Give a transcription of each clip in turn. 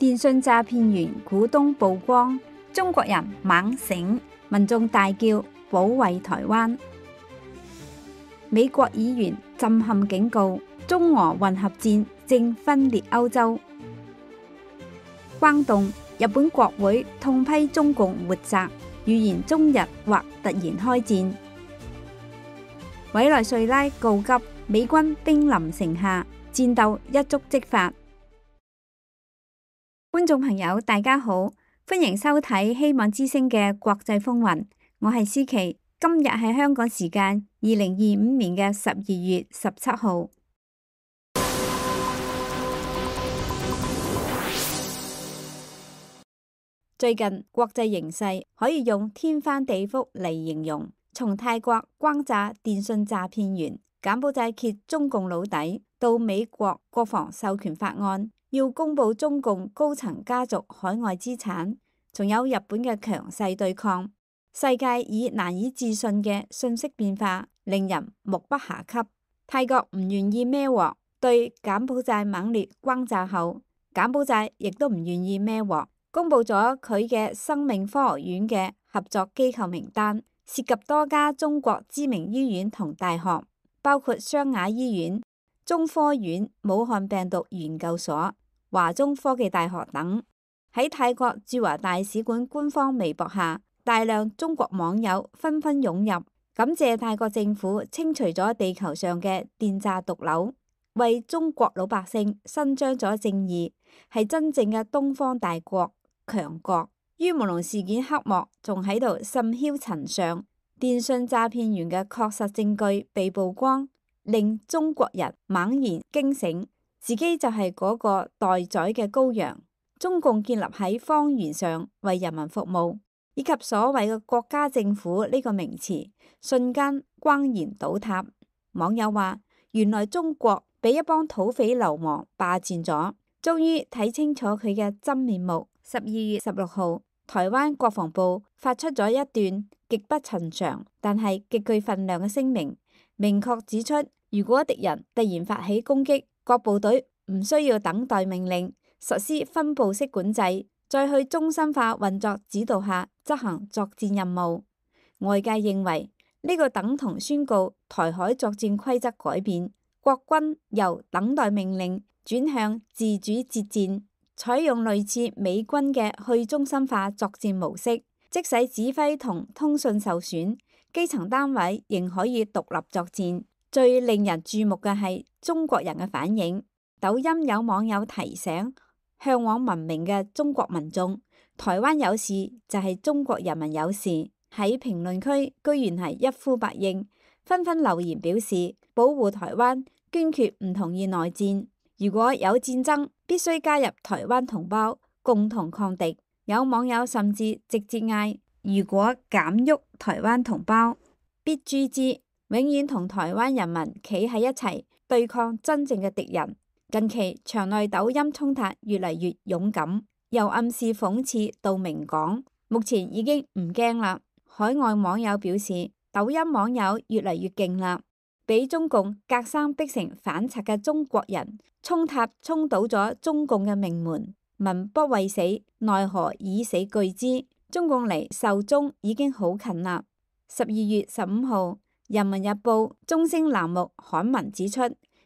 電信詐騙員股東曝光，中國人猛醒，民眾大叫保衛台灣。美國議員震撼警告，中俄混合戰正分裂歐洲。關東，日本國會痛批中共活摘，預言中日或突然開戰。委內瑞拉告急，美軍兵臨城下，戰鬥一觸即發。觀眾朋友大家好，歡迎收睇希望之聲嘅國際風雲，我係思琪。今日係香港時間2025年嘅12月17號。最近國際形勢可以用天翻地覆嚟形容，從泰國轟炸電信詐騙員、柬埔寨揭中共老底，到美國國防授權法案要公布中共高層家族海外資產，仲有日本嘅強勢對抗，世界以難以置信嘅信息變化令人目不暇給。泰國唔願意孭鑊，對柬埔寨猛烈轟炸後，柬埔寨亦都唔願意孭鑊，公布咗佢嘅生命科學院嘅合作機構名單，涉及多家中國知名醫院同大學，包括湘雅醫院、中科院、武漢病毒研究所、華中科技大學等。喺泰國駐華大使館官方微博下，大量中國網友紛紛湧入，感謝泰國政府清除咗地球上嘅電詐毒瘤，為中國老百姓伸張咗正義，係真正嘅東方大國強國。於朦朧事件黑幕仲喺度甚囂塵上，電信詐騙員嘅確實證據被曝光，令中國人猛然驚醒，自己就係嗰個待宰嘅羔羊。中共建立喺謊言上為人民服務，以及所謂嘅國家政府呢個名詞，瞬間轟然倒塌。網友話：原來中國被一幫土匪流氓霸佔咗，終於睇清楚佢嘅真面目。12月16號，台灣國防部發出咗一段極不尋常但係極具分量嘅聲明，明確指出，如果敵人突然發起攻擊，各部隊唔需要等待命令，實施分步式管制，再去中心化運作指導下執行作戰任務。外界認為呢個等同宣告台海作戰規則改變，國軍由等待命令轉向自主接戰，採用類似美軍嘅去中心化作戰模式，即使指揮同通訊受損，基層單位仍可以獨立作戰。最令人注目嘅係中國人嘅反應。抖音有網友提醒嚮往文明嘅中國民眾，台灣有事就係中國人民有事。喺評論區居然係一呼百應，紛紛留言表示保護台灣，堅決唔同意內戰。如果有戰爭，必須加入台灣同胞，共同抗敵。有網友甚至直接嗌：如果敢喐台灣同胞，必誅之，永遠同台灣人民企喺一齊，對抗真正嘅敵人。近期場內抖音衝突越嚟越勇敢，由暗示諷刺到明講，目前已經唔驚啦。海外網友表示，抖音網友越嚟越勁啦，俾中共隔山逼成反賊嘅中國人衝塔衝倒咗中共嘅命門，民不畏死，奈何以死懼之？中共離壽終已經好近啦。12月15號，人民日報中聲欄目刊文指出，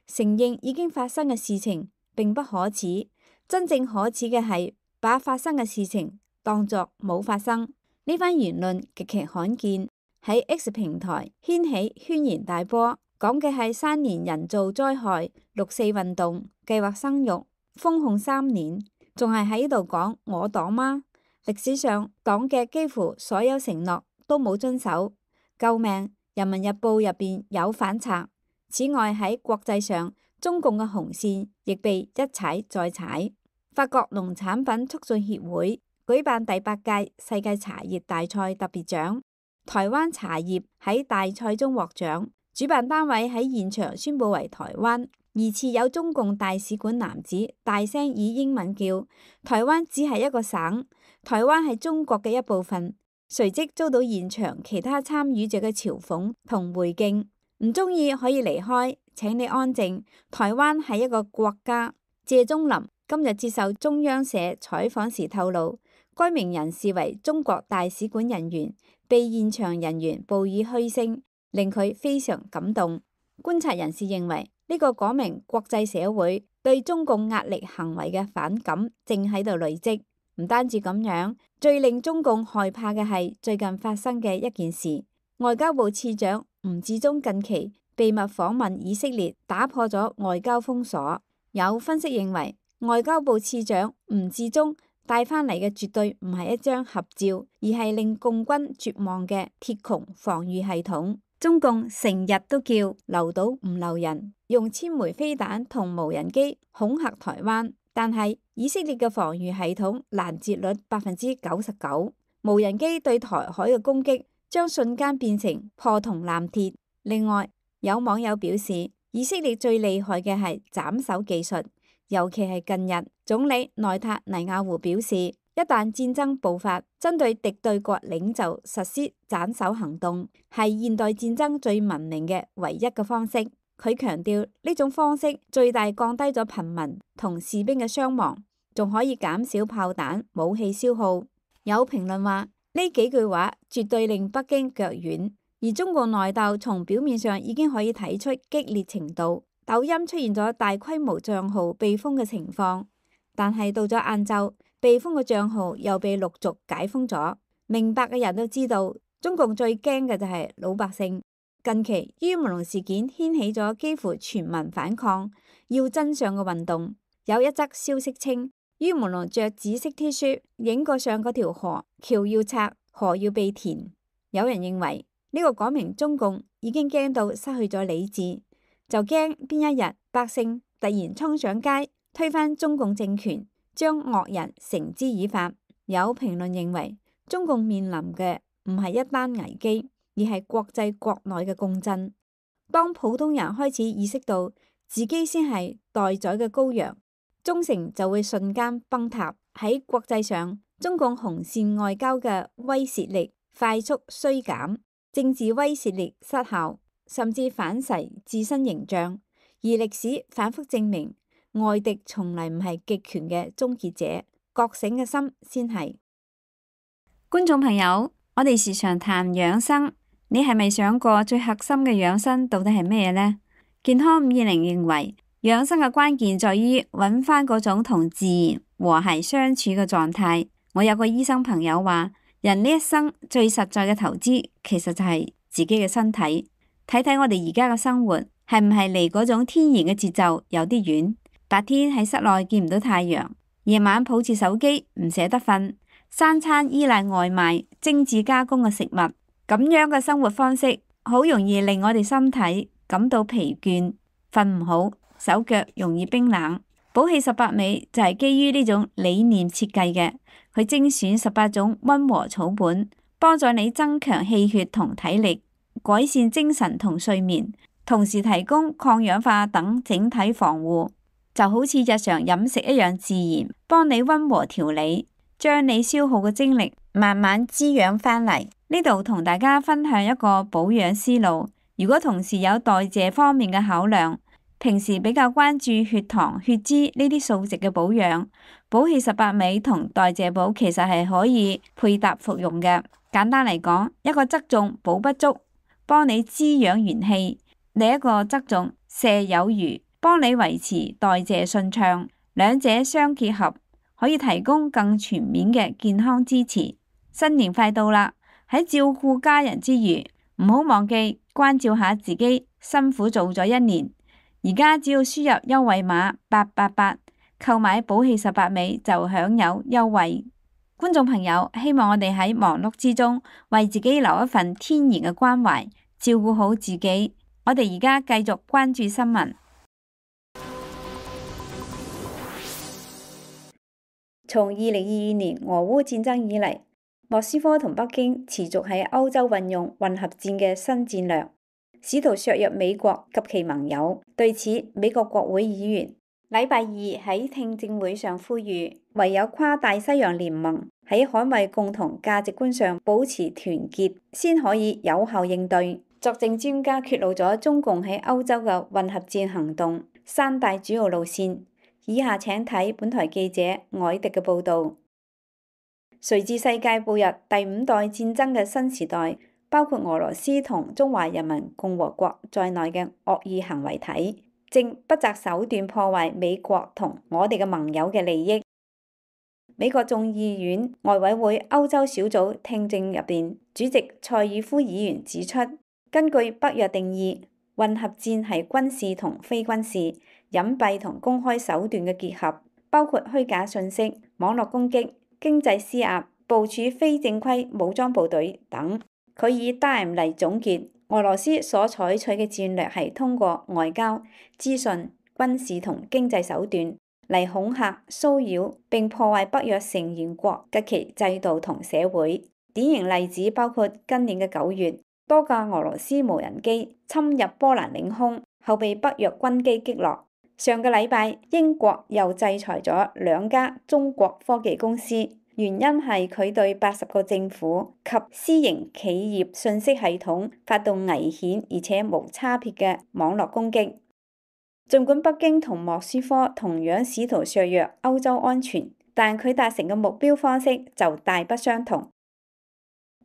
承認已經發生嘅事情並不可恥，真正可恥嘅係把發生嘅事情當作冇發生。呢番言論極其罕見，喺 X 平台掀起軒然大波，講嘅係3年人造災害、6·4運動、計劃生育、封控3年，仲係喺度講我黨嗎？歷史上黨嘅幾乎所有承諾都冇遵守，救命！人民日報入邊有反賊。此外喺國際上，中共嘅紅線亦被一踩再踩。法國農產品促進協會舉辦第8屆世界茶葉大賽特別獎，台灣茶葉喺大賽中獲獎，主辦單位喺現場宣布為台灣。疑似有中共大使館男子大聲以英文叫台灣只係一個省，台灣係中國嘅一部分，隨即遭到現場其他參與者嘅嘲諷同回敬。唔中意可以離開，請你安靜。台灣係一個國家。謝宗林今日接受中央社採訪時透露，該名人士為中國大使館人員，被現場人員報以噓聲，令佢非常感動。觀察人士認為，呢個講明國際社會對中共壓力行為嘅反感正喺度累積。唔單止咁樣，最令中共害怕嘅係最近發生嘅一件事。外交部次長吳志中近期秘密訪問以色列，打破咗外交封鎖。有分析認為，外交部次長吳志中帶返嚟嘅絕對唔係一張合照，而係令共軍絕望嘅鐵穹防禦系統。中共成日都叫留島唔留人，用千枚飛彈同無人機恐嚇台灣，但係以色列嘅防禦系統攔截率99%，無人機對台海嘅攻擊將瞬間變成破銅爛鐵。另外，有網友表示，以色列最厲害嘅係斬首技術，尤其係近日，總理內塔尼亞胡表示，一旦戰爭爆發，針對敵對國領袖實施斬首行動，係現代戰爭最文明嘅唯一嘅方式。佢強調呢種方式最大降低咗平民同士兵嘅傷亡，仲可以減少炮彈武器消耗。有評論話，呢幾句話絕對令北京腳軟。而中共內鬥從表面上已經可以睇出激烈程度，抖音出現咗大規模賬號被封嘅情況，但係到咗晏晝，被封嘅賬號又被陸續解封咗。明白嘅人都知道，中共最驚嘅就係老百姓。近期於文龍事件掀起咗幾乎全民反抗要真相嘅運動。有一則消息稱，於文龍着紫色 T 恤影過上嗰條河，橋要拆，河要被填。有人認為呢個講明中共已經驚到失去咗理智，就驚邊一日百姓突然衝上街推翻中共政權，將惡人繩之以法。有評論認為，中共面臨嘅唔係一單危機，而係國際國內嘅共振。當普通人開始意識到自己先係待宰嘅羔羊，忠誠就會瞬間崩塌。喺國際上，中共紅線外交嘅威懾力快速衰減，政治威懾力失效，甚至反噬自身形象。而歷史反覆證明，外敵從嚟唔係極權嘅終結者，覺醒嘅心先係。觀眾朋友，我哋時常談養生，你係咪想過最核心嘅養生到底係咩呢？健康520認為，養生嘅關鍵在於揾翻嗰種同自然和諧相處嘅狀態。我有個醫生朋友話，人呢一生最實在嘅投資，其實就係自己嘅身體。睇睇我哋而家嘅生活，係唔係離嗰種天然嘅節奏有啲遠？白天喺室內見唔到太陽，夜晚抱住手機唔捨得瞓，三餐依賴外賣、精緻加工嘅食物，咁樣嘅生活方式，好容易令我哋身體感到疲倦、瞓唔好、手腳容易冰冷。寶氣18味就係基於呢種理念設計嘅，佢精選18種溫和草本，幫助你增強氣血同體力，改善精神同睡眠，同時提供抗氧化等整體防護，就好似日常飲食一樣自然，幫你溫和調理，將你消耗嘅精力慢慢滋養返嚟。呢度同大家分享一個保養思路，如果同時有代謝方面嘅考量，平時比較關注血糖、血脂呢啲數值嘅保養，寶氣18味同代謝寶其實係可以配搭服用嘅。簡單嚟講，一個側重補不足，幫你滋養元氣；另一個側重瀉有餘，幫你維持代謝順暢。兩者相結合，可以提供更全面嘅健康支持。新年快到啦，喺照顧家人之餘，唔好忘記關照下自己，辛苦做咗一年。而家只要輸入優惠碼888，購買寶氣18味就享有優惠。觀眾朋友，希望我哋喺忙碌之中為自己留一份天然嘅關懷，照顧好自己。我哋而家繼續關注新聞。從2022年俄烏戰爭以嚟，莫斯科同北京持續喺歐洲運用混合戰嘅新戰略，試圖削弱美國及其盟友。對此，美國國會議員禮拜二喺聽證會上呼籲，唯有跨大西洋聯盟喺捍衛共同價值觀上保持團結，先可以有效應對。作證專家揭露咗中共喺歐洲嘅混合戰行動三大主要路線，以下請睇本台記者凱迪嘅報導。隨住世界步入第5代戰爭嘅新時代，包括俄羅斯同中華人民共和國在內嘅惡意行為體，正不擇手段破壞美國同我哋嘅盟友嘅利益。美國眾議院外委會歐洲小組聽證入邊，主席塞爾夫議員指出，根據北約定義，混合戰係軍事同非軍事、隱蔽同公開手段嘅結合，包括虛假信息、網絡攻擊、經濟施壓、部署非正規武裝部隊等。佢以 DIME 嚟總結俄羅斯所採取嘅戰略係通過外交、資訊、軍事同經濟手段嚟恐嚇、騷擾並破壞北約成員國嘅其制度同社會。典型例子包括今年嘅9月，多架俄羅斯無人機侵入波蘭領空後被北約軍機擊落。上個禮拜，英國又制裁咗2家中國科技公司，原因係佢對80個政府及私營企業信息系統發動危險而且無差別嘅網絡攻擊。儘管北京同莫斯科同樣試圖削弱歐洲安全，但佢達成嘅目標方式就大不相同。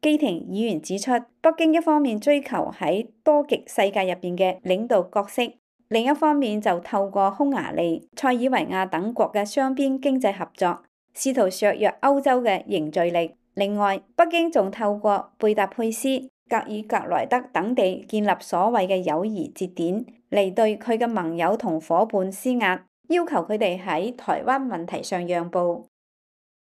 基廷議員指出，北京一方面追求喺多極世界入邊嘅領導角色，另一方面就透過匈牙利、塞爾維亞等國嘅雙邊經濟合作，試圖削弱歐洲嘅凝聚力。另外，北京仲透過貝達佩斯、格爾格萊德等地建立所謂嘅友誼節點，嚟對佢嘅盟友同伙伴施壓，要求佢哋喺台灣問題上讓步。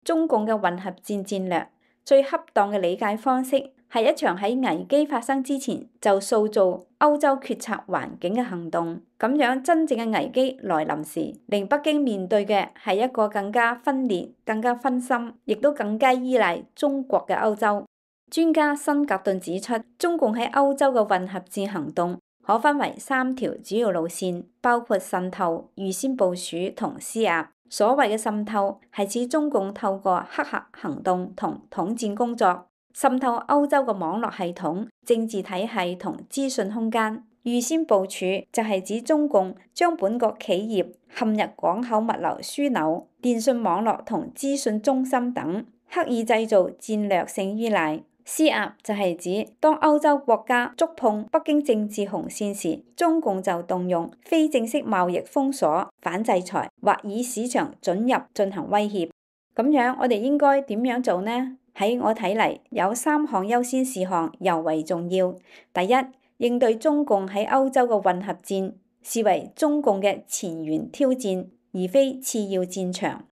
中共嘅混合戰戰略最恰當嘅理解方式係一場喺危機發生之前就塑造歐洲決策環境嘅行動，咁樣真正嘅危機來臨時，令北京面對嘅係一個更加分裂、更加分心，亦都更加依賴中國嘅歐洲。專家辛格頓指出，中共喺歐洲嘅混合戰行動可分為3條主要路線，包括滲透、預先部署同施壓。所謂嘅滲透係指中共透過黑客行動同統戰工作，滲透歐洲嘅網絡系統、政治體系同資訊空間。預先部署就係指中共將本國企業陷入港口物流樞紐、電信網絡同資訊中心等，刻意製造戰略性依賴。施壓就係指當歐洲國家觸碰北京政治紅線時，中共就動用非正式貿易封鎖、反制裁或以市場准入進行威脅。咁樣我哋應該點樣做呢？喺我睇嚟，有3項優先事項尤為重要。第一，應對中共喺歐洲嘅混合戰，視為中共嘅前沿挑戰，而非次要戰場。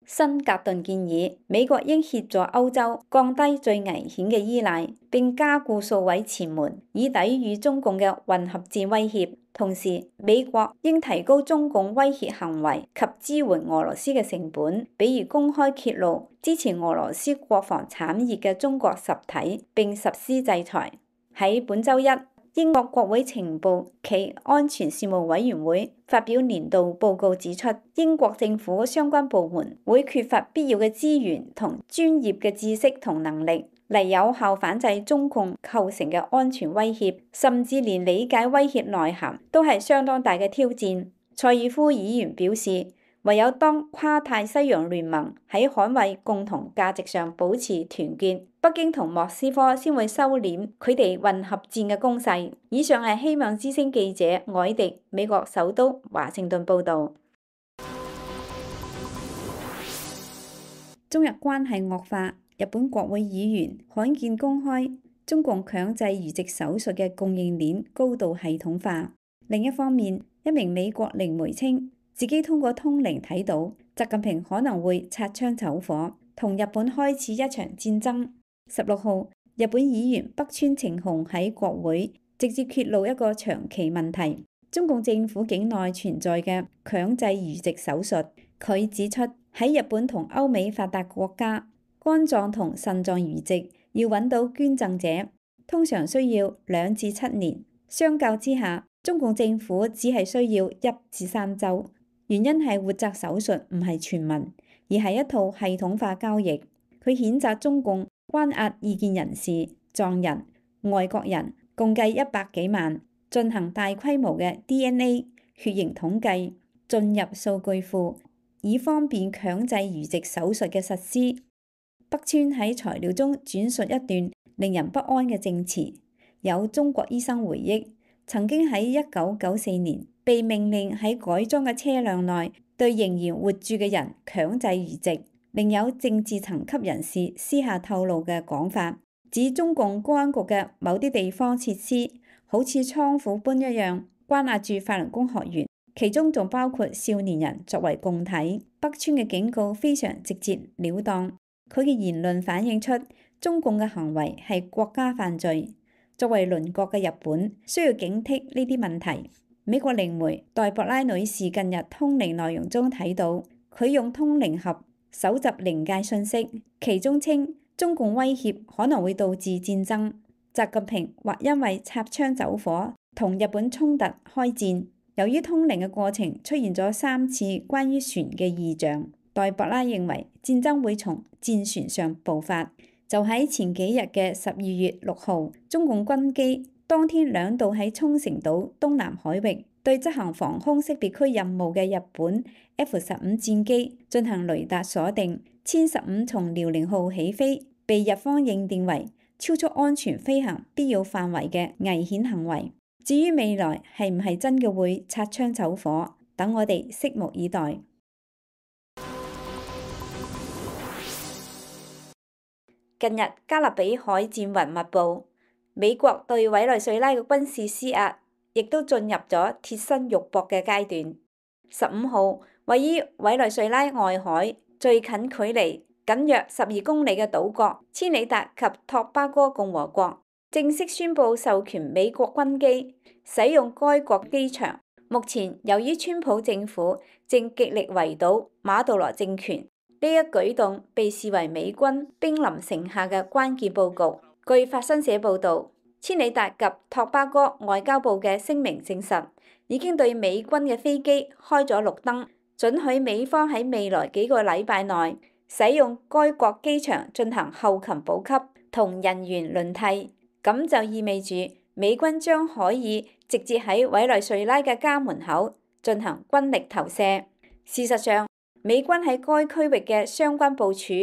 辛格頓建議美國應協助歐洲降低最危險嘅依賴，並加固數位前門，以抵禦中共嘅混合戰威脅。同時，美國應提高中共威脅行為及支援俄羅斯嘅成本，比如公開揭露支持俄羅斯國防產業嘅中國實體，並實施制裁。喺本週一，英國國會情報暨安全事務委員會發表年度報告指出，英國政府相關部門會缺乏必要嘅資源同專業嘅知識同能力嚟有效反制中共構成嘅安全威脅，甚至連理解威脅內涵都係相當大嘅挑戰。塞爾夫議員表示，唯有當跨大西洋聯盟喺捍衛共同價值上保持團結，北京同莫斯科先會收斂佢哋混合戰嘅攻勢。以上係希望之聲記者凱迪美國首都華盛頓報導。中日關係惡化，日本國會議員罕見公開中共強制移植手術嘅供應鏈高度系統化。另一方面，一名美國靈媒稱自己通過通靈睇到習近平可能會擦槍走火，同日本開始一場戰爭。16號，日本議員北川晴雄喺國會直接揭露一個長期問題：中共政府境內存在嘅強制移植手術。佢指出，喺日本同歐美發達國家，肝臟同腎臟移植要揾到捐贈者，通常需要2至7年。相較之下，中共政府只係需要1至3週。原因係活摘手術唔係全民，而係一套系統化交易。佢譴責中共關押異見人士、藏人、外國人共計100幾萬，進行大規模嘅 DNA 血型統計，進入數據庫，以方便強制移植手術嘅實施。北川喺材料中轉述一段令人不安嘅證詞，有中國醫生回憶，曾經喺1994年被命令喺改裝嘅車輛內對仍然活住嘅人強制移植。另有政治層級人士私下透露嘅講法，指中共公安局嘅某啲地方設施好似倉庫般一樣關押住法輪功學員，其中仲包括少年人作為供體。北川嘅警告非常直截了當。佢嘅言論反映出中共嘅行為係國家犯罪。作為鄰國嘅日本，需要警惕呢啲問題。美國靈媒黛博拉女士近日通靈內容中睇到，佢用通靈盒搜集靈界信息，其中稱中共威脅可能會導致戰爭，習近平或因為擦槍走火同日本衝突開戰。由於通靈嘅過程出現咗3次關於船嘅異象，黛博拉認為戰爭會從戰船上爆發。就喺前幾日嘅12月6號，中共軍機當天2度喺沖繩島東南海域對執行防空識別區任務嘅日本 F-15戰機進行雷達鎖定。殲15從遼寧號起飛，被日方認定為超出安全飛行必要範圍嘅危險行為。至於未來係唔係真嘅會擦槍走火，等我哋拭目以待。近日加勒比海戰雲密布，美國對委內瑞拉嘅軍事施壓亦都進入咗貼身肉搏嘅階段。15號，位於委內瑞拉外海最近距離僅約12公里嘅島國千里達及托巴哥共和國正式宣布授權美國軍機使用該國機場。目前由於川普政府正極力圍堵馬杜羅政權，呢一舉動被視為美軍兵臨城下嘅關鍵佈局。據法新社報導，千里達及托巴哥外交部嘅聲明證實，已經對美軍嘅飛機開咗綠燈，准許美方喺未來幾個禮拜內使用該國機場進行後勤補給同人員輪替。咁就意味住美軍將可以直接喺委內瑞拉嘅家門口進行軍力投射。事實上，美軍喺該區域嘅相關部署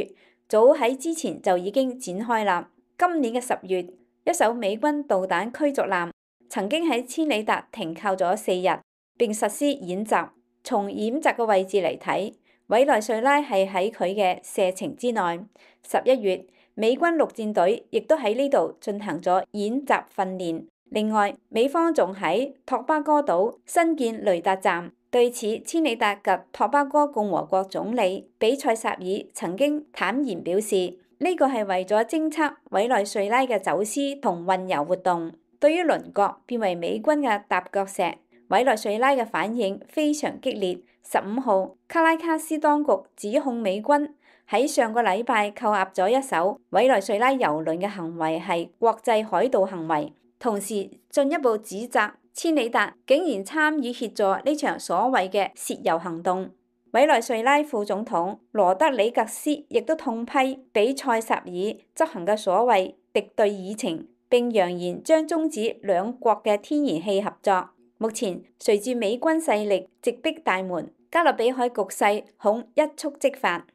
早喺之前就已經展開啦。今年嘅10月，一艘美軍導彈驅逐艦曾經喺千里達停靠咗4日，並實施演習。從演習嘅位置嚟睇，委內瑞拉係喺佢嘅射程之內。11月，美軍陸戰隊亦都喺呢度進行咗演習訓練。另外，美方仲喺托巴哥島新建雷達站。對此，千里達及托巴哥共和國總理比塞薩爾曾經坦言表示，呢個係為咗偵測委內瑞拉嘅走私同運油活動。對於鄰國變為美軍嘅踏腳石，委內瑞拉嘅反應非常激烈。15號，卡拉卡斯當局指控美軍喺上個禮拜扣押咗一艘委內瑞拉油輪嘅行為係國際海盜行為，同時進一步指責千里達竟然參與協助呢場所謂嘅竊油行動。委內瑞拉副總統羅德里格斯亦都痛批比塞薩爾執行嘅所謂敵對議程，並揚言將終止兩國嘅天然氣合作。目前隨住美軍勢力直逼大門，加勒比海局勢恐一觸即發。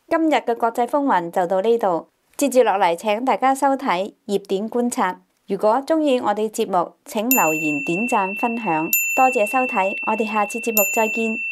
今日嘅國際風雲就到呢度。接住落嚟，請大家收睇熱點觀察。如果鍾意我哋節目，請留言、點讚、分享。多謝收睇，我哋下次節目再見。